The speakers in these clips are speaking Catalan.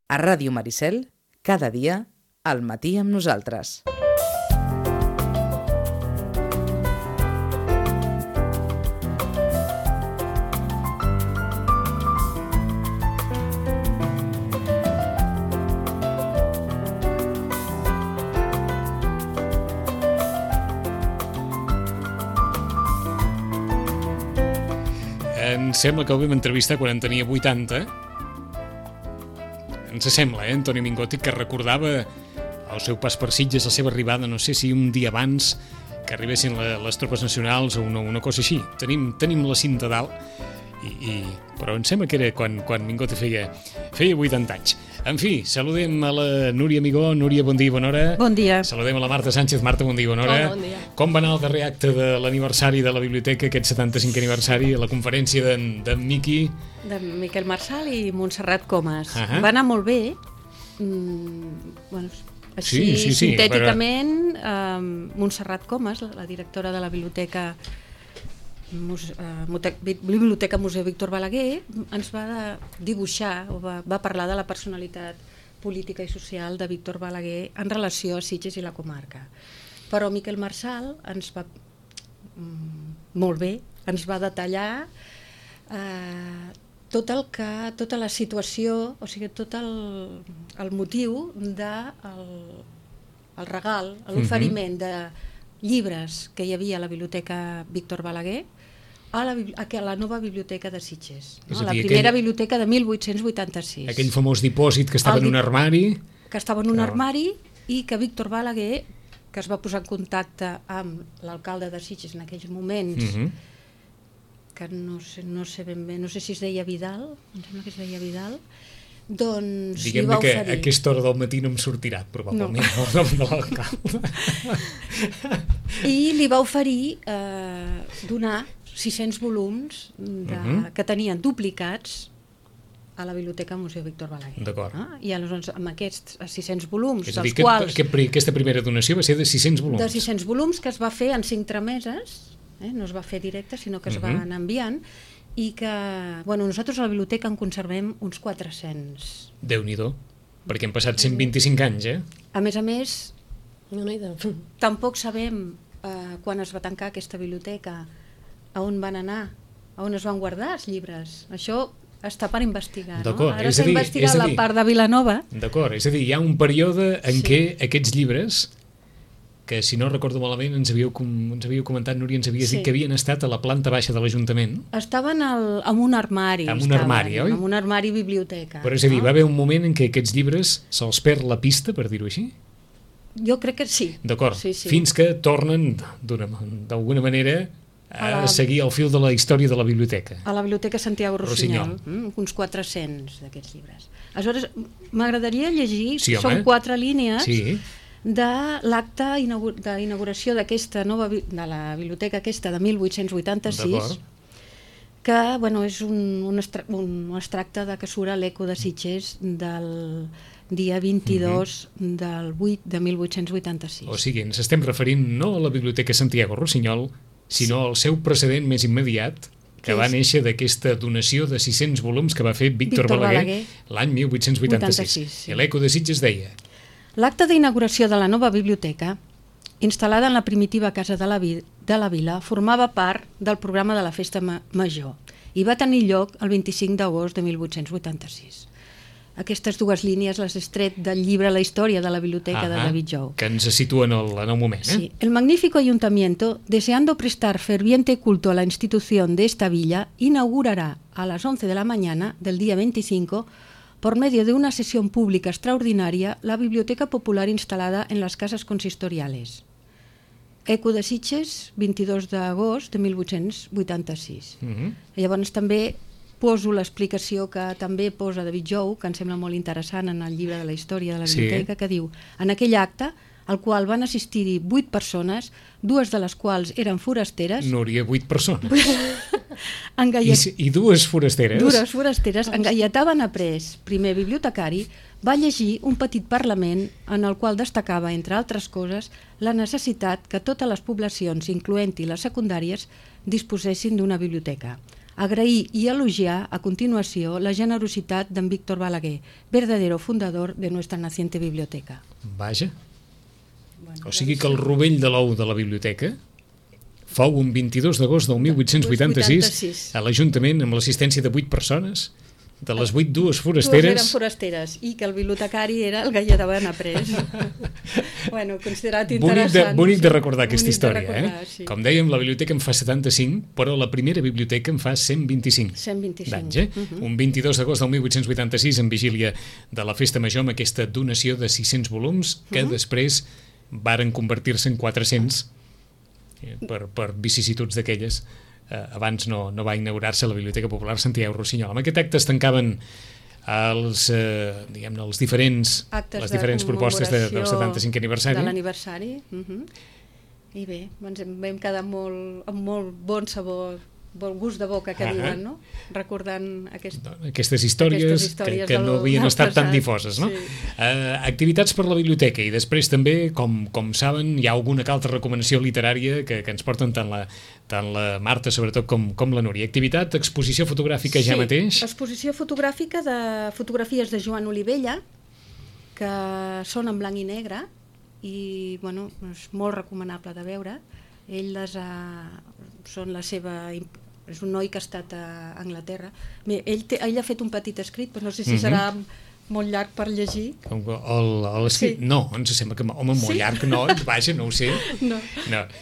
A Ràdio Maricel, cada dia, al matí amb nosaltres. Em sembla que el vam entrevistar quan en tenia 80. Ens sembla, Antoni Mingotti, que recordava el seu pas per Sitges, la seva arribada, no sé si un dia abans que arribessin les tropes nacionals o una cosa així. Tenim la cinta dalt, però em sembla que era quan Mingotti feia 80 anys. En fi, saludem a la Núria Amigó. Núria, bon dia i bona hora. Bon dia. Saludem a la Marta Sánchez. Marta, bon dia i bona hora. Bon dia. Com va anar el darrer acte de l'aniversari de la biblioteca, aquest 75è aniversari, a la conferència d'en Miqui? De Miquel Marçal i Montserrat Comas. Uh-huh. Va anar molt bé. Bueno, així, sí, sintèticament, Montserrat Comas, la directora de la Biblioteca Museu Víctor Balaguer, ens va dibuixar o va parlar de la personalitat política i social de Víctor Balaguer en relació a Sitges i la comarca. Però Miquel Marçal ens va molt bé, ens va detallar tota la situació, o sigui, tot el motiu del regal, l'oferiment de llibres que hi havia a la Biblioteca Víctor Balaguer a la nova biblioteca de Sitges, no? La primera biblioteca de 1886. Aquell famós dipòsit que estava en un armari. Que estava en un armari i que Víctor Balaguer, que es va posar en contacte amb l'alcalde de Sitges en aquells moments, que no sé ben bé, no sé si es deia Vidal, em sembla que es deia Vidal, doncs li va oferir... Diguem-ne que a aquesta hora del matí no em sortirà, probablement, el nom de l'alcalde. I li va oferir donar 600 volums que tenien duplicats a la Biblioteca Museu Víctor Balaguer. D'acord. I aleshores amb aquests 600 volums, és a dir, dels quals... aquesta primera donació va ser de 600 volums. De 600 volums que es va fer en 5 trameses, no es va fer directe, sinó que es va anar enviant, i que, bueno, nosaltres a la biblioteca en conservem uns 400. Déu-n'hi-do, perquè han passat 125 anys, A més, tampoc sabem quan es va tancar aquesta biblioteca, a on van anar, a on es van guardar els llibres. Això està per investigar, no? Ara s'ha investigat la part de Vilanova. D'acord, és a dir, hi ha un període en què aquests llibres, que si no recordo malament ens havíeu comentat, Núria, ens havies dit que havien estat a la planta baixa de l'Ajuntament. Estaven en un armari. En un armari, oi? En un armari biblioteca. Però és a dir, va haver un moment en què aquests llibres se'ls perd la pista, per dir-ho així? Jo crec que sí. D'acord, fins que tornen d'alguna manera a seguir el fil de la història de la biblioteca. A la Biblioteca Santiago Rossinyol. Uns 400 d'aquests llibres. Aleshores, m'agradaria llegir, són 4 línies de l'acte d'inauguració d'aquesta nova, de la biblioteca aquesta de 1886, que és un extracte de que surt a l'Eco de Sitges del dia 22 del 8 de 1886. O sigui, ens estem referint no a la Biblioteca Santiago Rossinyol, sinó al seu precedent més immediat, que va néixer d'aquesta donació de 600 volums que va fer Víctor Balaguer l'any 1886. I l'Eco de Sitges deia: l'acte d'inauguració de la nova biblioteca, instal·lada en la primitiva casa de la vila, formava part del programa de la Festa Major i va tenir lloc el 25 d'agost de 1886. Aquestes dues línies les he tret del llibre La història de la biblioteca de David Jou. Que ens situen en el moment. Sí. El magnífico ayuntamiento, deseando prestar ferviente culto a la institución de esta villa, inaugurará a las 11 de la mañana del día 25, por medio de una sesión pública extraordinaria, la biblioteca popular instalada en las casas consistoriales. Eco de Sitges, 22 d'agost de 1886. Llavors també poso l'explicació que també posa David Jou, que em sembla molt interessant en el llibre de la història de la biblioteca, que diu: en aquell acte, al qual van assistir-hi 8 persones, 2 de les quals eren forasteres... Núria, 8 persones. I 2 forasteres? 2 forasteres. En Gaietà Benaprés, primer bibliotecari, va llegir un petit parlament en el qual destacava, entre altres coses, la necessitat que totes les poblacions, incloent-hi les secundàries, disposessin d'una biblioteca. Agrair i elogiar a continuació la generositat d'en Víctor Balaguer, verdadero fundador de nuestra naciente biblioteca. Vaja. O sigui que el rovell de l'ou de la biblioteca fou un 22 d'agost del 1886 a l'Ajuntament amb l'assistència de 8 persones, de les 8, 2 forasteres. 2 eren forasteres i que el bibliotecari era el Gaia de Benaprés. Bueno, considerat interessant. Bonic de recordar aquesta història. Sí. Com dèiem, la biblioteca en fa 75, però la primera biblioteca en fa 125. 125. d'anys. Un 22 d'agost del 1886, en vigília de la Festa Major, amb aquesta donació de 600 volums, que després varen convertir-se en 400 per vicissituds d'aquelles. Abans no va inaugurar-se la Biblioteca Popular Santiago Rossinyol. Amb aquest acte es tancaven les diferents propostes del 75è aniversari. De l'aniversari. I bé, ens vam quedar amb molt bon sabor, bon gust de boca, que diuen, no? Recordant aquestes històries que no havien estat tan difoses, no? Activitats per la biblioteca, i després també, com saben, hi ha alguna altra recomanació literària que ens porten tant la Marta, sobretot, com la Núria. Activitat, exposició fotogràfica ja mateix? Sí, exposició fotogràfica de fotografies de Joan Olivella, que són en blanc i negre, i bueno, és molt recomanable de veure. Ell és un noi que ha estat a Anglaterra. Ell ha fet un petit escrit, però no sé si serà molt llarg per llegir. L'escrit? No, ens sembla que... Home, molt llarg no, vaja, no ho sé. No.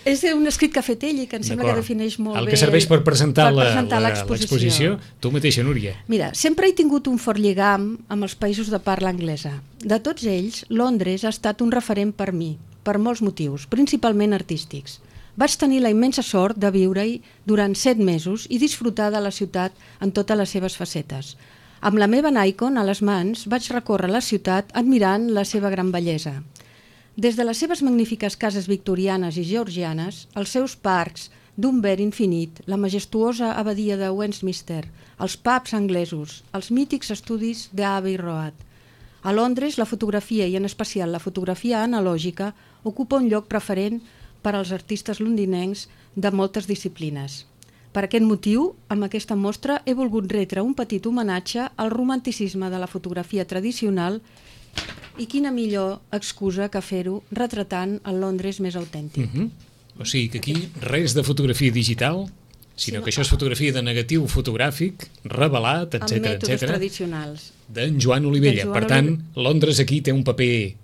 És un escrit que ha fet ell i que em sembla que defineix molt bé... El que serveix per presentar l'exposició. Tu mateixa, Núria. Mira, sempre he tingut un fort lligam amb els països de parla anglesa. De tots ells, Londres ha estat un referent per mi, per molts motius, principalment artístics. Vaig tenir la immensa sort de viure-hi durant 7 mesos i disfrutar de la ciutat en totes les seves facetes. Amb la meva Nikon a les mans vaig recórrer la ciutat admirant la seva gran bellesa. Des de les seves magnífiques cases victorianes i georgianes, els seus parcs d'un verd infinit, la majestuosa abadia de Westminster, els pubs anglesos, els mítics estudis d'Abbey Road. A Londres, la fotografia, i en especial la fotografia analògica, ocupa un lloc preferent per als artistes londinencs de moltes disciplines. Per aquest motiu, amb aquesta mostra he volgut retre un petit homenatge al romanticisme de la fotografia tradicional, i quina millor excusa que fer-ho retratant el Londres més autèntic. O sigui que aquí res de fotografia digital, sinó que això és fotografia de negatiu fotogràfic, revelat, etc. Amb mètodes tradicionals. D'en Joan Olivella. Per tant, Londres aquí té un paper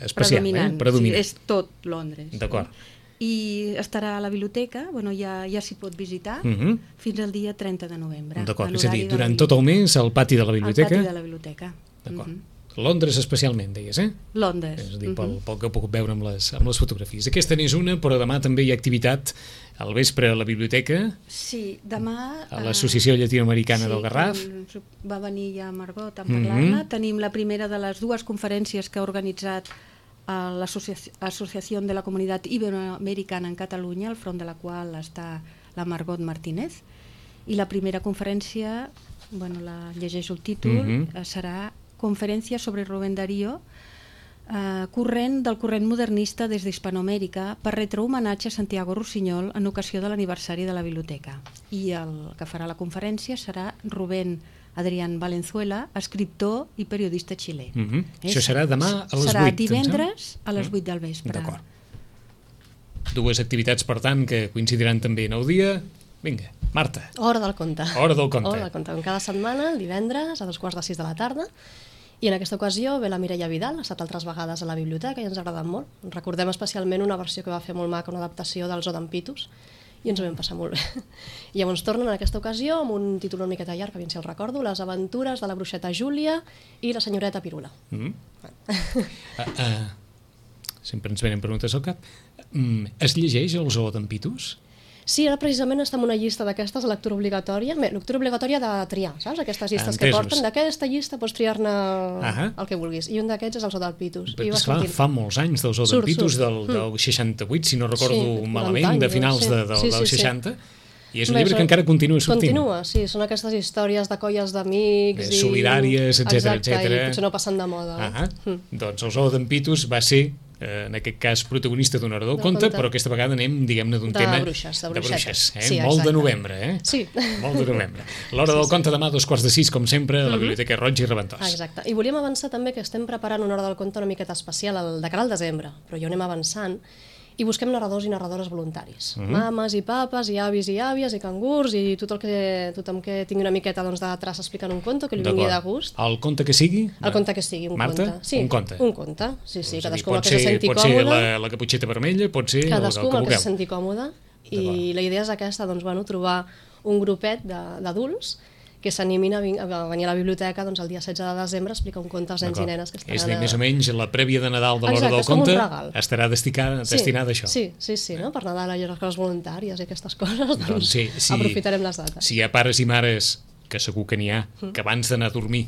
especial, predominant. Sí, és tot Londres. D'acord. I estarà a la biblioteca, ja s'hi pot visitar, fins al dia 30 de novembre. D'acord, és a dir, durant tot el mes al pati de la biblioteca? Al pati de la biblioteca. D'acord. Londres especialment, deies, Londres. És a dir, pel que he pogut veure amb les fotografies. Aquesta n'és una, però demà també hi ha activitat al vespre a la biblioteca. Sí, demà... A l'Associació Llatinoamericana del Garraf. Va venir ja Margot a parlar-ne. Tenim la primera de les 2 conferències que ha organitzat l'Associació de la Comunitat Iberoamericana en Catalunya, al front de la qual està la Margot Martínez. I la primera conferència, la llegeixo el títol, serà Conferència sobre Rubén Darío, del corrent modernista des d'Hispanoamèrica, per retre homenatge a Santiago Rossinyol en ocasió de l'aniversari de la biblioteca. I el que farà la conferència serà Rubén Adrián Valenzuela, escriptor i periodista xilè. Això serà demà a les 8. Serà divendres a les 8 del vespre. D'acord. 2 activitats, per tant, que coincidiran també en el dia. Vinga, Marta. Hora del conte. Hora del conte. Hora del conte. Cada setmana, divendres, a 2:45 de la tarda. I en aquesta ocasió ve la Mireia Vidal, ha estat altres vegades a la biblioteca i ens ha agradat molt. Recordem especialment una versió que va fer molt maca, una adaptació del Zoo d'en Pitus, i ens ho vam passar molt bé. I llavors tornen en aquesta ocasió amb un títol una miqueta llarg, que ben si el recordo, Les aventures de la bruixeta Júlia i la senyoreta Pirula. Sempre ens venen preguntes al cap. Es llegeix el Zoo d'en Pitus? Sí, ara precisament està en una llista d'aquestes, lectura obligatòria. Lectura obligatòria de triar, saps? Aquestes llistes que porten. D'aquesta llista pots triar-ne el que vulguis. I un d'aquests és el Zoo del Pitus. Esclar, fa molts anys del Zoo del Pitus, del 68, si no recordo malament, de finals del 60. I és un llibre que encara continua sortint. Continua, sí. Són aquestes històries de colles d'amics. Solidàries, etc. Exacte, i potser no passen de moda. Doncs el Zoo d'en Pitus va ser en aquest cas protagonista d'un hora del conte, però aquesta vegada anem, diguem-ne, d'un tema... De bruixes. Sí, molt de novembre, Sí. Molt de novembre. L'hora del conte demà a 2:45, com sempre, a la Biblioteca Roig i Reventós. Exacte. I volíem avançar també que estem preparant una hora del conte una miqueta especial de cara al desembre, però ja ho anem avançant, i busquem narradors i narradores voluntaris. Mames i papes, i avis i àvies, i cangurs, i tothom que tingui una miqueta de traça explicant un conte, que li vingui de gust. El conte que sigui? El conte que sigui, un Marta? conte. Sí, un conte. Un conte, sí. Cadascú pot que se senti còmode. Pot ser la caputxeta vermella, pot ser cadascú el que que se senti còmode. I la idea és aquesta, trobar un grupet d'adults que s'animin a venir a la biblioteca el dia 16 de desembre a explicar un conte als nens i nenes que estaran... És a dir, més o menys la prèvia de Nadal de l'hora del conte estarà destinada a això. Sí, no? Per Nadal hi ha les coses voluntàries i aquestes coses, doncs aprofitarem les dates. Si hi ha pares i mares, que segur que n'hi ha, que abans d'anar a dormir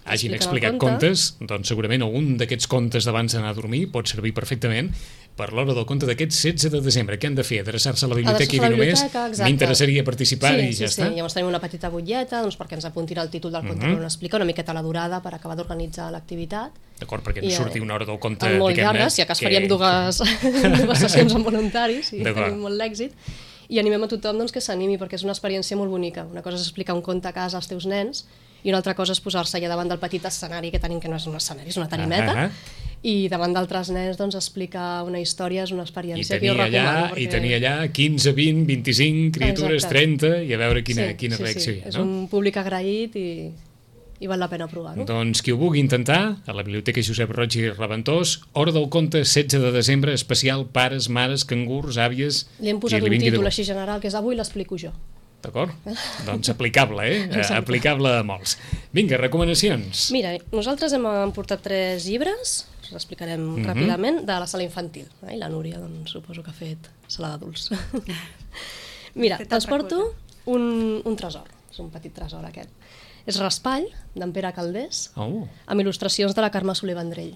hagin explicat contes, doncs segurament algun d'aquests contes d'abans d'anar a dormir pot servir perfectament per l'hora del conte d'aquest 16 de desembre. Què han de fer? Adreçar-se a la biblioteca i dir només m'interessaria participar i ja està? Sí, llavors tenim una petita butlleta perquè ens apuntin el títol del conte on explica una miqueta la durada per acabar d'organitzar l'activitat. D'acord, perquè ens surti una hora del conte... Molt llarga, si a cas faríem dues sessions amb voluntaris i tenim molt l'èxit. I animem a tothom que s'animi perquè és una experiència molt bonica. Una cosa és explicar un conte a casa als teus nens i una altra cosa és posar-se allà davant del petit escenari que tenim, que no és un escenari, és una tarimeta, i davant d'altres nens explicar una història és una experiència que jo recomano. I tenir allà 15, 20, 25 criatures, 30, i a veure quina reacció hi ha. És un públic agraït i val la pena provar-ho. Doncs qui ho vulgui intentar, a la Biblioteca Josep Roig i Reventós, hora del conte 16 de desembre, especial pares, mares, cangurs, àvies... Li hem posat un títol així general, que és Avui l'explico jo. D'acord? Doncs aplicable, aplicable a molts. Vinga, recomanacions. Mira, nosaltres hem portat 3 llibres, us explicarem ràpidament, de la sala infantil. I la Núria, suposo que ha fet sala d'adults. Mira, els porto un tresor, és un petit tresor aquest. És Raspall, d'en Pere Calders, amb il·lustracions de la Carme Soler Vendrell.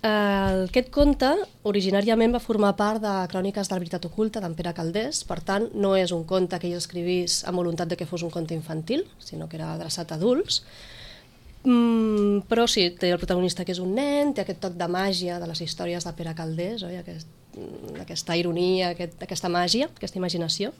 Aquest conte originàriament va formar part de Cròniques de la veritat oculta d'en Pere Calders, per tant no és un conte que ell escrivís amb voluntat de que fos un conte infantil, sinó que era adreçat a adults, però sí, té el protagonista que és un nen, té aquest toc de màgia de les històries de Pere Calders, aquesta ironia, aquesta màgia, aquesta imaginació.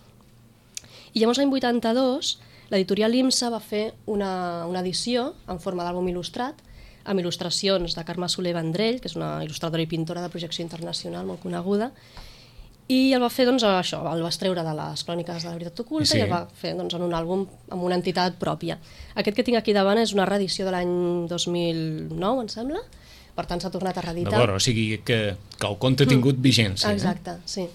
I llavors l'any 82 l'editorial IMSA va fer una edició en forma d'àlbum il·lustrat amb il·lustracions de Carme Soler Vendrell, que és una il·lustradora i pintora de projecció internacional molt coneguda, i el va fer això, el va extreure de les Cròniques de la veritat oculta i el va fer en un àlbum amb una entitat pròpia. Aquest que tinc aquí davant és una reedició de l'any 2009, em sembla, per tant s'ha tornat a reeditar. D'acord, o sigui que el conte ha tingut vigència. Exacte, sí.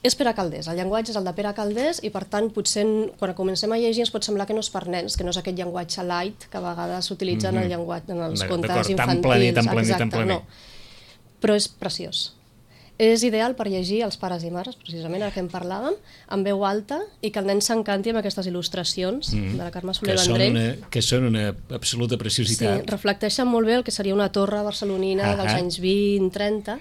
És Pere Calders, el llenguatge és el de Pere Calders i per tant potser quan comencem a llegir ens pot semblar que no és per nens, que no és aquest llenguatge light que a vegades s'utilitza en els contes infantils. Tan planer. No. Però és preciós. És ideal per llegir als pares i mares, precisament el que en parlàvem, en veu alta i que el nen s'encanti amb aquestes il·lustracions de la Carme Soler Vendrell. Que són una absoluta preciositat. Sí, reflecteixen molt bé el que seria una torre barcelonina dels anys 20-30,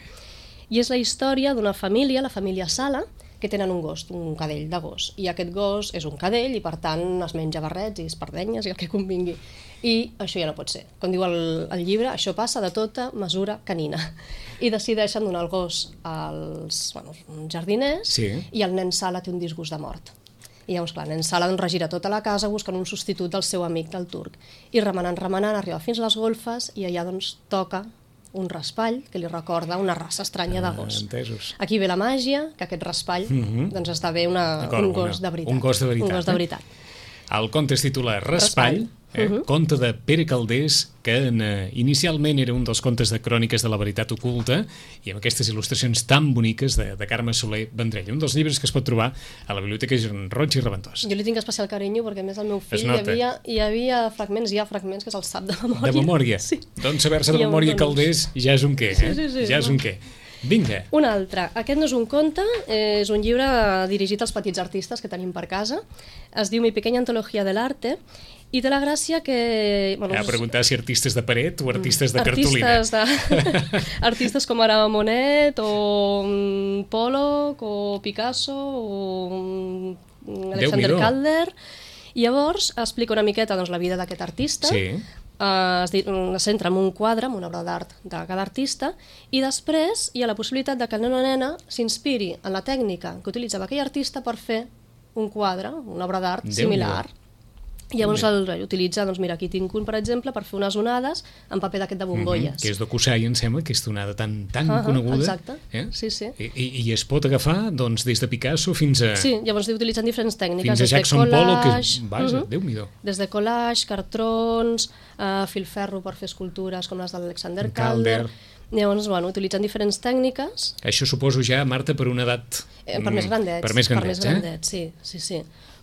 i és la història d'una família, la família Sala, que tenen un gos, un cadell de gos. I aquest gos és un cadell i per tant es menja barrets i espardenyes i el que convingui. I això ja no pot ser. Com diu el llibre, això passa de tota mesura canina. I decideixen donar el gos als jardiners i el nen Sala té un disgust de mort. I llavors, clar, el nen Sala regira tota la casa buscant un substitut del seu amic del turc. I remenant, arriba fins a les golfes i allà toca un raspall que li recorda una raça estranya de gos. Entesos. Aquí ve la màgia, que aquest raspall esdevé un gos de veritat. Un gos de veritat. El conte es titula Raspall, conte de Pere Calders, que inicialment era un dels contes de Cròniques de la veritat oculta i amb aquestes il·lustracions tan boniques de Carme Soler Vendrell. Un dels llibres que es pot trobar a la Biblioteca Roig i Reventós. Jo li tinc especial carinyo perquè a més el meu fill hi havia fragments que se'ls sap de memòria. De memòria? Sí. Doncs saber-se de memòria Calders ja és un què, ja és un què. Vinga. Un altre. Aquest no és un conte, és un llibre dirigit als petits artistes que tenim per casa. Es diu Mi pequeña antología del arte i té la gràcia que... A preguntar si artistes de paret o artistes de cartolina. Artistes com ara Monet o Pollock o Picasso o Alexander Calder. I llavors explica una miqueta la vida d'aquest artista, es centra en un quadre, en una obra d'art de cada artista, i després hi ha la possibilitat de que el nen o nena s'inspiri en la tècnica que utilitzava aquell artista per fer un quadre, una obra d'art similar. I llavors utilitza, doncs mira, aquí tinc un, per exemple, per fer unes onades en paper d'aquest de bombolles. Que és d'Okusai, em sembla, aquesta onada tan coneguda. Exacte, sí. I es pot agafar des de Picasso fins a... Sí, llavors utilitzen diferents tècniques. Fins a Jackson Pollock, vaja, Déu-n'hi-do. Des de collage, cartrons, filferro per fer escultures com les d'Alexander Calder. Llavors, utilitzen diferents tècniques. Això suposo ja, Marta, per una edat... Per més grandets. Per més grandets, sí.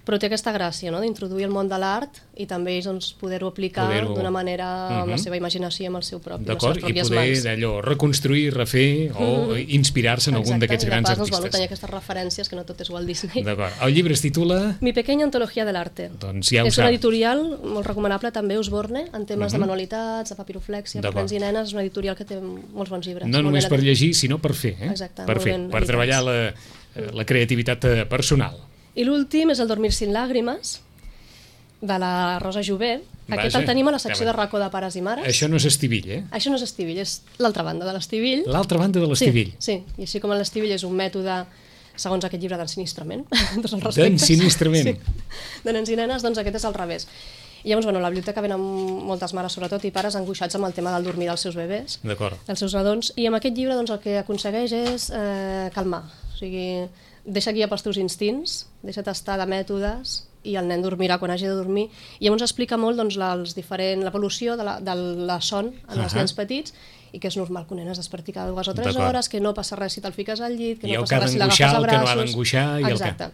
Però té aquesta gràcia, no?, d'introduir el món de l'art i també poder-ho aplicar d'una manera amb la seva imaginació i amb el seu propi, les seves pròpies mans. I poder d'allò reconstruir, refer o inspirar-se en algun d'aquests grans artistes. Exacte, i de pas tenir aquestes referències, que no tot és Walt Disney. D'acord. El llibre es titula... Mi pequeña antología del arte. Doncs ja ho és una editorial molt recomanable, també Osborne, en temes de manualitats, de papiroflèxia, per nens i nenes. És una editorial que té molts bons llibres. No només per llegir, sinó per fer. Exacte. Per treballar la creativitat personal. I l'últim és el Dormir sin lágrimas, de la Rosa Jové. Aquest el tenim a la secció de racó de pares i mares. Això no és Estivill, Això no és Estivill, és l'altra banda de l'Estivill. L'altra banda de l'Estivill. Sí, i així com l'Estivill és un mètode, segons aquest llibre, d'ensinistrament. D'ensinistrament. Sí, de nens i nenes, doncs aquest és al revés. I llavors, a la biblioteca venen moltes mares, sobretot, i pares angoixats amb el tema del dormir dels seus bebès, dels seus nadons, i amb aquest llibre el que aconsegueix és calmar, o sigui, deixa guiar pels teus instints, deixa tastar de mètodes i el nen dormirà quan hagi de dormir. I llavors explica molt l'evolució de la son en els nens petits i que és normal que un nen es desperti cada 2 o 3 hores, que no passa res si te'l fiques al llit, que no passa res si l'agafes a braços... I el que ha d'angoixar, el que no ha d'angoixar... Exacte.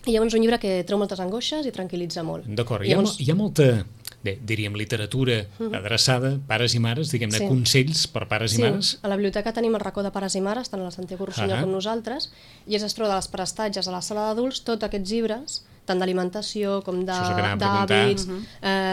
I llavors un llibre que treu moltes angoixes i tranquil·litza molt. D'acord, hi ha molta, diríem, literatura adreçada, pares i mares, diguem-ne, consells per pares i mares? Sí, a la biblioteca tenim el racó de pares i mares, tant a la Santiago Rossinyol com nosaltres, i es troba de les prestatges a la sala d'adults tots aquests llibres, tant d'alimentació com d'hàbits,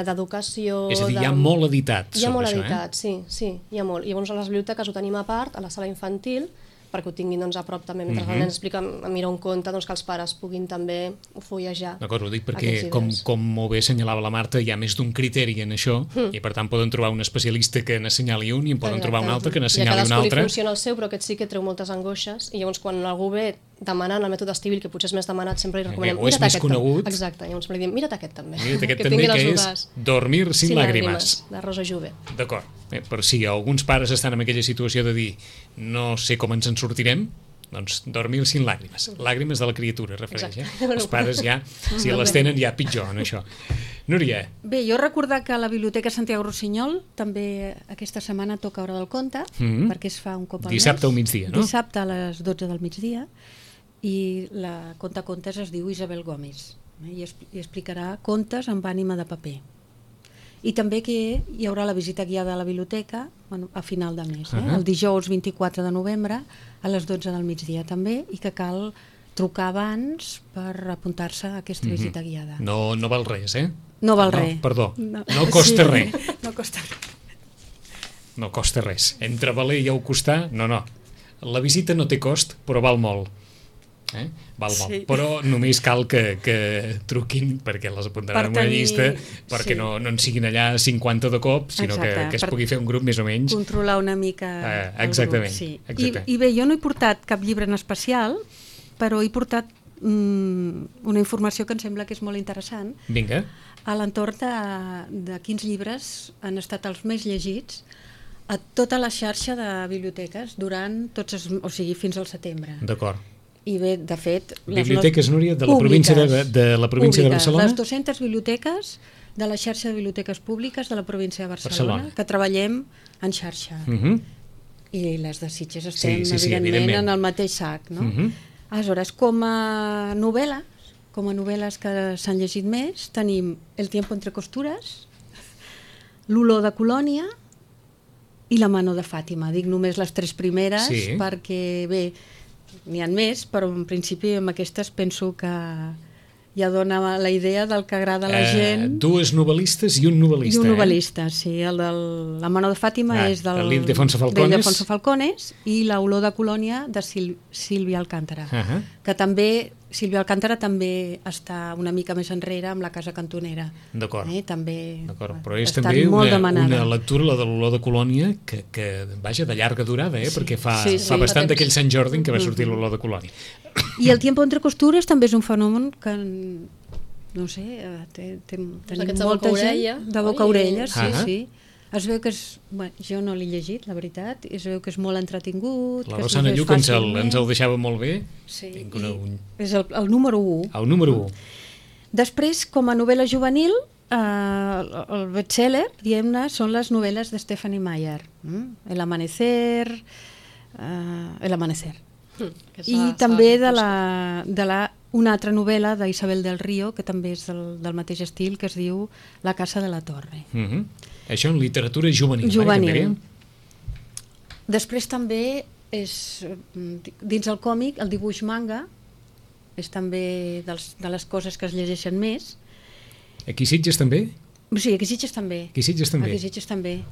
d'educació... És a dir, hi ha molt editat sobre això, Hi ha molt editat, sí, hi ha molt. I llavors a les biblioteques ho tenim a part, a la sala infantil, perquè ho tinguin a prop també, mentre el nen explica a mirar un conte, que els pares puguin també fullejar. D'acord, ho dic perquè, com molt bé assenyalava la Marta, hi ha més d'un criteri en això, i per tant poden trobar un especialista que n'assenyali un i en poden trobar un altre que n'assenyali un altre. I a cadascú li funciona el seu, però aquest sí que treu moltes angoixes, i llavors quan algú ve demanant el mètode Estivill, que potser és més demanat, sempre li recomanem, mira't aquest també. Exacte, llavors li diem, mira't aquest també. Mira't aquest també, que és Dormir sin lágrimas. De Rosa Jové. D'acord, però si alguns pares estan en aquella situació de dir no sé com ens en sortirem, doncs Dormir sin lágrimas. Làgrimes de la criatura, refereix. Els pares ja, si les tenen, ja pitjor en això. Núria. Bé, jo recordar que a la Biblioteca Santiago Rossinyol també aquesta setmana toca Hora del Conte, perquè es fa un cop al mes. Dissabte al migdia, no? Dissabte a les 12 del migdia, i la contacontes es diu Isabel Gómez, i explicarà contes amb ànima de paper. I també que hi haurà la visita guiada a la biblioteca a final de mes, el dijous 24 de novembre a les 12 del migdia també, i que cal trucar abans per apuntar-se a aquesta visita guiada. No val res, No val res. Perdó, no costa res. No costa res. No costa res. Entre valer i costar, no. La visita no té cost, però val molt. Val molt. Però només cal que truquin, perquè les apuntaran en una llista, perquè no en siguin allà 50 de cop, sinó que es pugui fer un grup més o menys. Controlar una mica exactament, el grup. I bé, jo no he portat cap llibre en especial, però he portat una informació que em sembla que és molt interessant. Vinga. A l'entorn de quins llibres han estat els més llegits a tota la xarxa de biblioteques durant fins al setembre. D'acord. I bé, de fet... Biblioteques, Núria, de la província de Barcelona? Les 200 biblioteques de la xarxa de biblioteques públiques de la província de Barcelona, que treballem en xarxa. I les de Sitges estem, evidentment, en el mateix sac, no? Aleshores, com a novel·les que s'han llegit més, tenim El tiempo entre costuras, L'olor de Colònia i La mano de Fàtima. Dic només les 3 primeres perquè, bé, n'hi ha més, però en principi amb aquestes penso que ja dona la idea del que agrada a la gent. 2 novel·listes i un novel·lista. I un novel·lista, sí. El de La mano de Fàtima és del Ildefonso Falcones i La olor de Colònia de Sílvia Alcántara, que també Sílvia Alcántara també està una mica més enrere amb la Casa Cantonera. D'acord. També Però és està també molt una demanada. lectura, la de l'Olor de Colònia, que vaja, de llarga durada, perquè fa Sí, bastant fa d'aquell temps. Sant Jordi en què va sortir l'Olor de Colònia. I el Tiempo entre costures també és un fenomen que, no sé, tenim d'aquests de molta boca-orella, gent de boca a oi? orella, sí, Ah. sí. Es veu que és... Bueno, jo no l'he llegit, la veritat. Es veu que és molt entretingut. La que es Rosana llegeix Lluc ens fàcilment. el deixava molt bé. Sí, Tinc és el número 1. El número 1. Després, com a novel·la juvenil, el bestseller, diguem-ne, són les novel·les de Stephanie Meyer. El Amanecer... El Amanecer. I també una altra novel·la d'Isabel del Río, que també és del mateix estil, que es diu La casa de la torre. Això en literatura juvenil. Juvenil. Després també és, dins el còmic, el dibuix manga, és també de les coses que es llegeixen més. Aquí Sitges també? Sí, aquí Sitges també. Aquí Sitges també. Aquí Sitges també.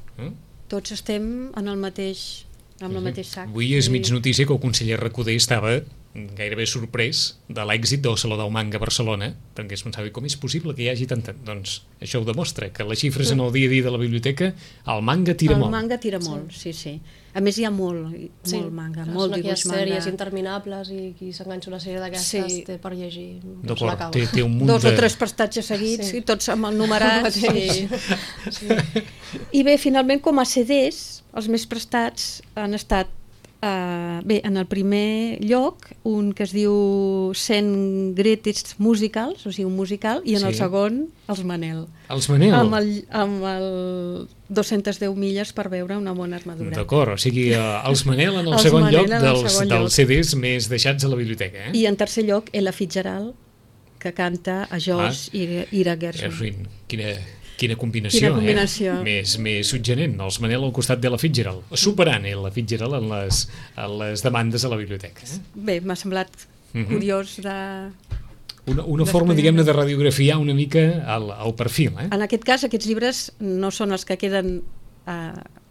Tots estem en el mateix, amb el mateix sac. Avui és mig notícia que el conseller Recoder estava gairebé sorprès de l'èxit del Saló del Manga a Barcelona, perquè es pensava, com és possible que hi hagi tanta... Doncs això ho demostra, que les xifres en el dia a dia de la biblioteca, el manga tira molt. El manga tira molt, sí. A més hi ha molt manga, molt dibuix manga. Sèries interminables i qui s'enganxa una sèrie d'aquestes té per llegir. D'acord, té un munt Dos o tres prestatges seguits i tots amb el numerat. I bé, finalment, com a CDs, els més prestats han estat en el primer lloc un que es diu 100 Greatest Musicals, o sigui, un musical, i en el segon, els Manel. Els Manel? Amb el 210 milles per veure una bona armadura. D'acord, o sigui, els Manel en el segon lloc dels CDs més deixats a la biblioteca. I en tercer lloc, Ella Fitzgerald, que canta a Josh i Ira Gershwin. Quina combinació, més suggerent. Els Manel al costat d'Ella Fitzgerald, superant Ella Fitzgerald en les demandes a la biblioteca. Bé, m'ha semblat curiós de... Una forma, diguem-ne, de radiografiar una mica el perfil. En aquest cas, aquests llibres no són els que queden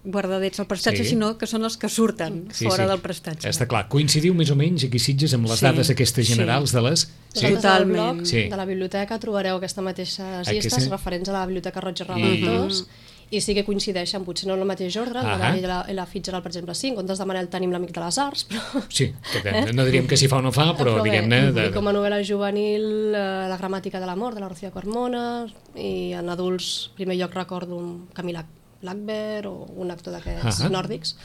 guardadets al prestatge, sinó que són els que surten fora del prestatge. Està clar. Coincidiu més o menys aquí Sitges amb les dades aquestes generals de les... Totalment. De la biblioteca trobareu aquestes mateixes llistes referents a la Biblioteca Roig i Raventós i sí que coincideixen, potser no en el mateix ordre, la Fitzgerald, per exemple, sí, en comptes de Manel tenim l'Amic de les Arts, però... Sí, no diríem que s'hi fa o no fa, però diguem-ne... I com a novel·la juvenil, La gramàtica de l'amor, de la Rocío Carmona, i en adults, en primer lloc recordo Camila Lackberg o un actor d'aquests nòrdics,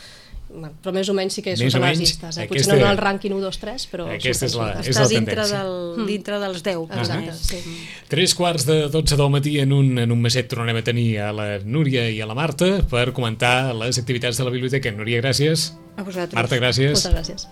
però més o menys sí que surten les llistes. Potser no en el rànquing 1, 2, 3, però aquesta és la tendència. Dintre dels 10. Exacte, sí. 3:45 del matí, en un meset tornarem a tenir a la Núria i a la Marta per comentar les activitats de la biblioteca. Núria, gràcies. A vosaltres. Marta, gràcies. Moltes gràcies.